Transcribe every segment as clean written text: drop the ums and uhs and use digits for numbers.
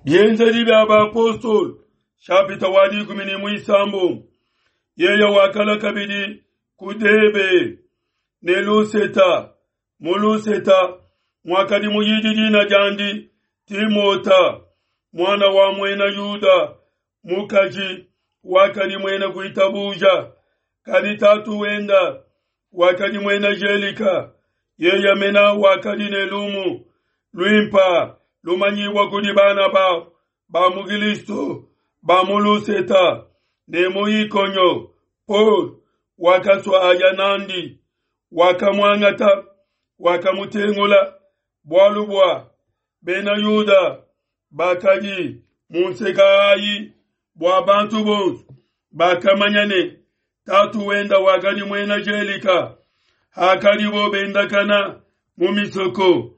Bienzedi bia Bapostolo, shapita wa 16. Yeye wakalua kabidi ku Debe ne Luseta. Mu Luseta muakadi muyidi dina diandi Timota, muana wa muena Yuda mukaji wakadi muena kuitabuja, kadi tatu wenda wakadi muena Gelika. Yeye mena wakadi ne lumu luimpa lumanyibua kudi bana babo ba mu Kilisto ba mu Luseta ne mu Ikonio. Paulo wakasua aya nandi, wakamuangata, wakamutengula, bualu bua bena Yuda bakadi mu nseka ayi, bua bantu bonso bakamanya ne tatu wenda wakadi muena Gelika. Hakadibo bendakana mu misoko,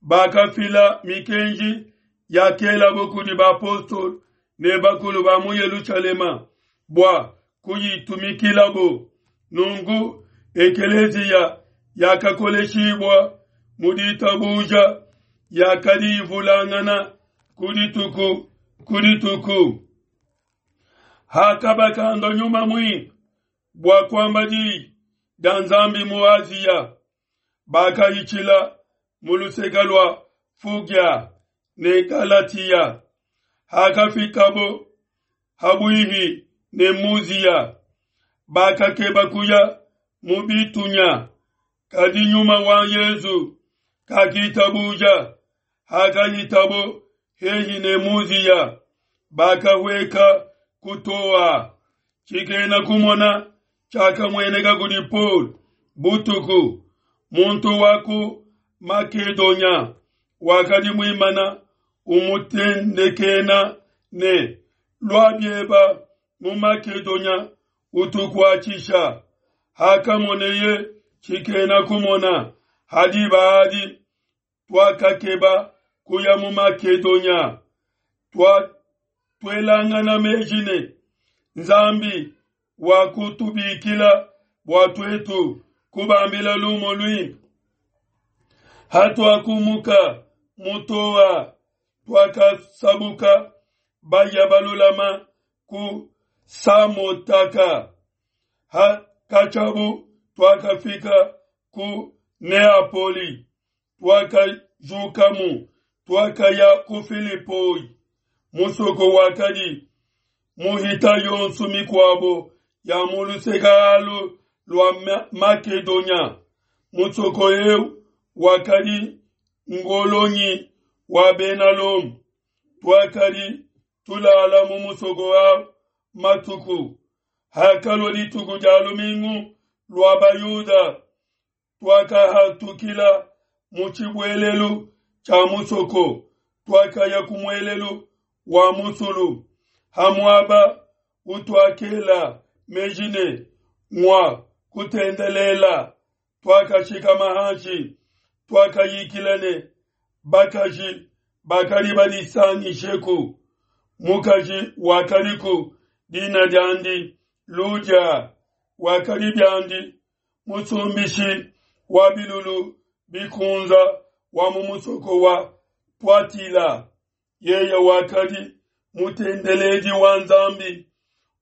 bakafila mikenji yakelabo kudi bapostolo ne bakulu ba mu Yelushalema bua kuyitumikilabo. Nunku ekeleziya yakakoleshibua mu ditabuja, yakadi ivulangana ku dituku ku dituku. Hakabakanda Nyuma Muimpe bua kuamba diyi dia Nzambi mu Asia, bakahitshila mu luseke lua Fugia ne Galatia. Hakafikabo habuihi ne Musia, bakakeba kuya mu Bitunya, kadi Nyuma wa Yesu kakitabuja. Hakahitabo hehi ne Musia, bakahueka ku Toa. Tshikena kumona tshiakamueneka kudi Paul butuku, muntu wa ku Makedonya wakadi muimana umutendekena ne, Lua bieba mu Makedonya utukuatshisha. Hakamoneye tshikena kumona, ha diba adi tuakakeba kuya mu Makedonya, tuelangana meji ne, Nzambi wakutubikila bua tuetu kubambila lumu luimpe. Hatuakumuka mu Toa, tuakasabuka baya balulama ku Samotaka. Hakatshiabu tuakafika ku Neapoli, tuakajukamu, tuakaya ku Filipoi, musoko wakadi muhita yonso mikuabo ya mu luseke alu lua Makedonya. Musoko eu wakadi ngolonyi wa Bena Lomo. Tuakadi tulala mu musoko au matuku. Hakalua dituku dia lumingu lua Bayuda, tuakahatukila mu tshibuelelu tshia musoko, tuakaya ku muelelu wa musulu, ha muaba utuakela meji ne ngua kutendelela. Tuakashikama hanshi, tuakayikila ne bakaji bakadi badisangisheku. Mukaji wakadiku dina diandi Ludia, wakadi biandi musumbishi wa bilulu bikunza wa mu musoko wa Tuatila. Yeye wakadi mutendeledi wa Nzambi,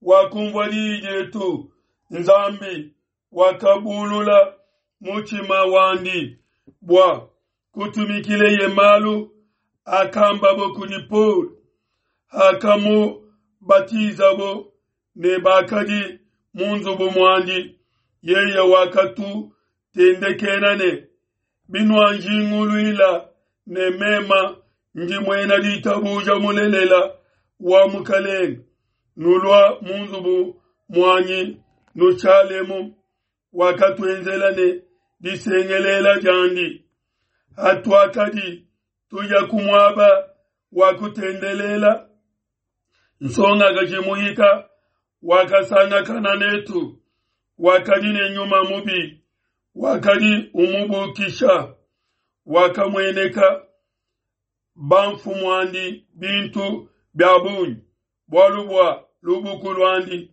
wakumvua diyi dietu. Nzambi wakabulula mutshima wandi bua kutumikileye malu akambabo kudi Paul. Hakamubatizabo ne bakadi mu nzubu muandi, yeye wakatutendekena ne, Binuanjinguluila ne mema ndi muena ditabuja mulelela wa Mukalenge, nulua mu nzubu muanyi nushalemu. Wakatuenzela ne disengelela diandi. Hatuakadi tuya ku muaba wa kutendelela, nsongakaji muhika wakasangakana netu, wakadi ne nyuma mubi, wakadi umubukisha. Wakamueneka bamfumuandi bintu bia bungi bualu bua lubuku luandi.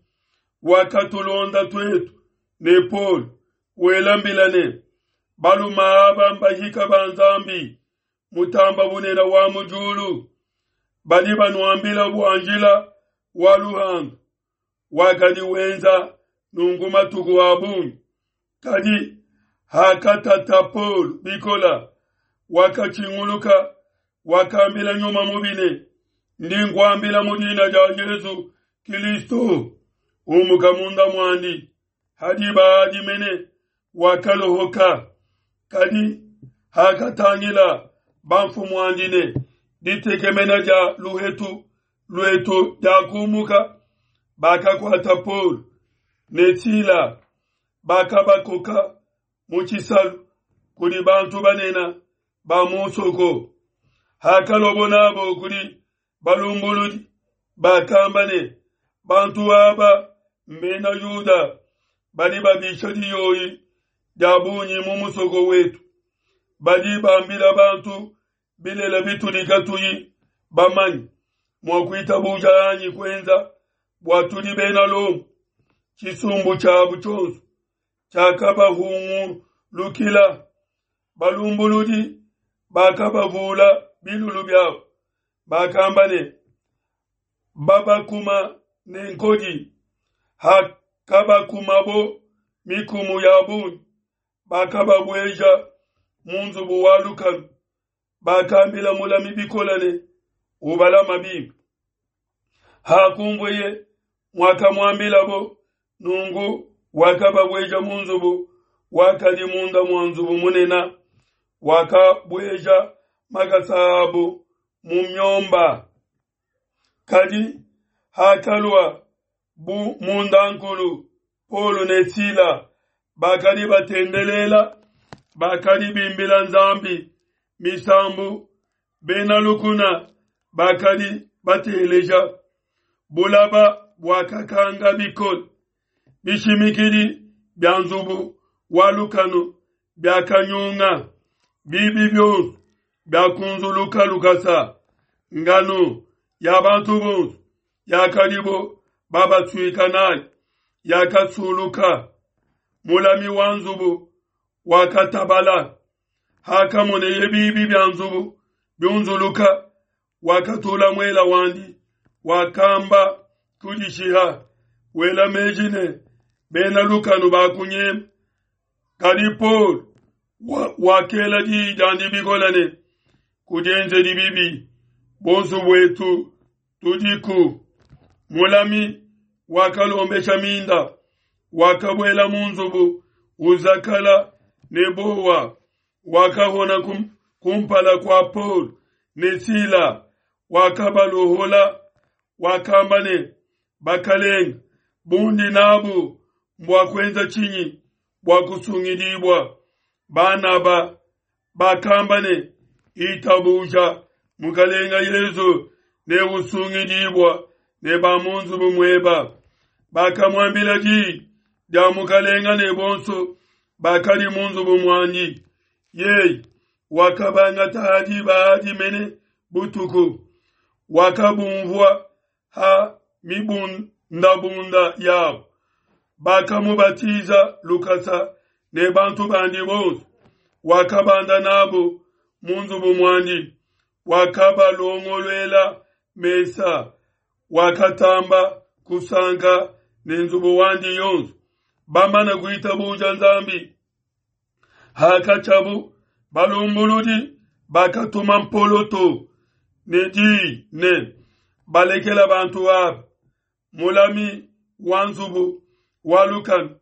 Wakatulonda tuetu ne Paul, wela mbila ne, Baluma aba mbahika ba Nzambi mutamba bunene wa mu diulu. Badi banuambila bua njila wa luhandu. Wakadi wenza nunku matuku a bungi. Kadi hakatata Paulo bikola, wakatshinguluka, wakambila nyuma mubi ne, Ndi nkuambila mu dina dia Yesu Kilisto, umuka munda muandi. Ha diba adi mene wakalohoka. Kadi hakatangila bamfumuandi ne ditekemena dia luhetu luetu diakumuka, bakakuata Paulo ne Sila, bakabakoka mu tshisalu kudi bantu banene ba mu musoko. Hakaluabo nabo kudi balumbuludi, bakamba ne, Bantu aba mbena Yuda badi babisha diyoyi dia bungi mu musoko wetu, badi bambila bantu bilele bitudi katuyi bamanye mua kuitabuja anyi kuenza, bua tudi bena Lomo. Tshisumbu tshiabu tshionso tshiakabahungulukila, balumbuludi bakabavula bilulu biabu, bakamba ne, Babakuma ne nkodi. Hakabakumabo mikumu ya bungi, bakababueja mu nzubu wa lukanu. Bakambila mulami bikole ne, Ubalama bimpe. Hakunvueye muakamuambilabo nunku, wakababueja mu nzubu wakadi munda mua nzubu munene, wakabueja makasa abo mu miomba. Kadi hakalua bu mundankulu, Paulo ne Sila bakadi batendelela, bakadi bimbila Nzambi misambu, bena lukuna bakadi bateleja. Bulaba buakakanga bikole, bishimikidi bia nzubu wa lukanu biakanyunga, bibi bionso biakunzuluka lukasa, nganu ya bantu bonso yakadibo babasuika nayi yakasuluka. Mulami wa nzubu wakatabala, hakamoneye bibi bia nzubu biunzuluka, wakatula muela wandi, wakamba kudishiha, wela meji ne, Bena lukanu bakunyema. Kadi Paulo wakela diyi diandi bikole ne, Kudienzedi bibi, bonso buetu tudiku. Mulami wakalombesha minda, wakabuela mu nzubu uzakala ne buowa, wakahona kumpala kua Paulo ne Sila, wakabaluhula, wakamba ne, Bakalenge, bundi nabu mbua kuenza tshinyi bua kusungidibua? Banaba bakamba ne, Itabuja Mukalenga Yezu ne usungidibua ne ba mu nzubu mueba. Bakamuambila diyi dia Mukalenga ne bonso bakadi mu nzubu muandi. Yeye wakabangata ha diba adi mene butuku, wakabumvua ha mibundabunda yabo, bakamubatiza lukasa ne bantu bandi bonso. Wakabanda nabo mu nzubu muandi, wakabalongoluela mesa, wakatamba kusanka ne nzubu wandi yonso, bamana kuitabuja Nzambi. Hakatshiabu, balumbuludi bakatuma mpoloto ne diyi ne, Balekela bantu aba. Mulami wa nzubu wa lukanu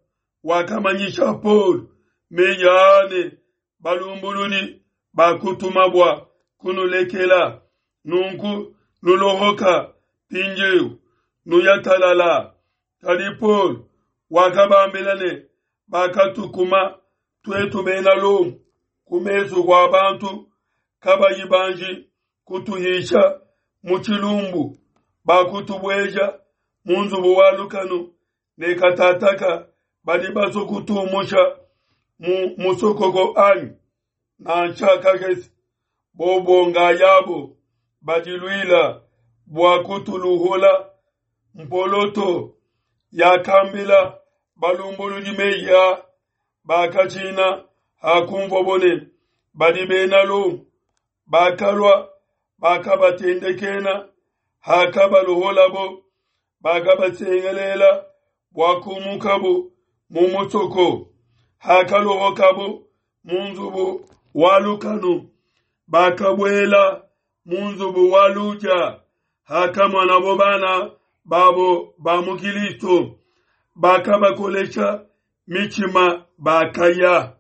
wakamanyisha Paulo meyi aa ne, Balumbuludi bakutuma bua kunulekela, nunku nulohoka mpindieu, nuya talala. Kadi Paulo wakabambila ne, Bakatukuma tuetu bena Lomo ku mesu kua bantu kabayi banji kutuhisha mu tshilumbu, bakutubueja mu nzubu wa lukanu, ne katataka badi basue kutumusha mu musokoko anyi? Nansha kakese! Bobo ngayabo badiluila bua kutuluhula. Mpoloto yakambila balumbuludi meyi a, bakatshina hakumvuabo ne, Badi Bena Lomo. Bakalua, Bakabatendekena, hakabaluholabo, bakabasengelela bua kumukabo mu musoko. Hakaluhokabo mu nzubu wa lukanu, bakabuela mu nzubu wa Ludia. Hakamonabo bana babo ba mu Kilisto, bakabakolesha mitshima, bakaya.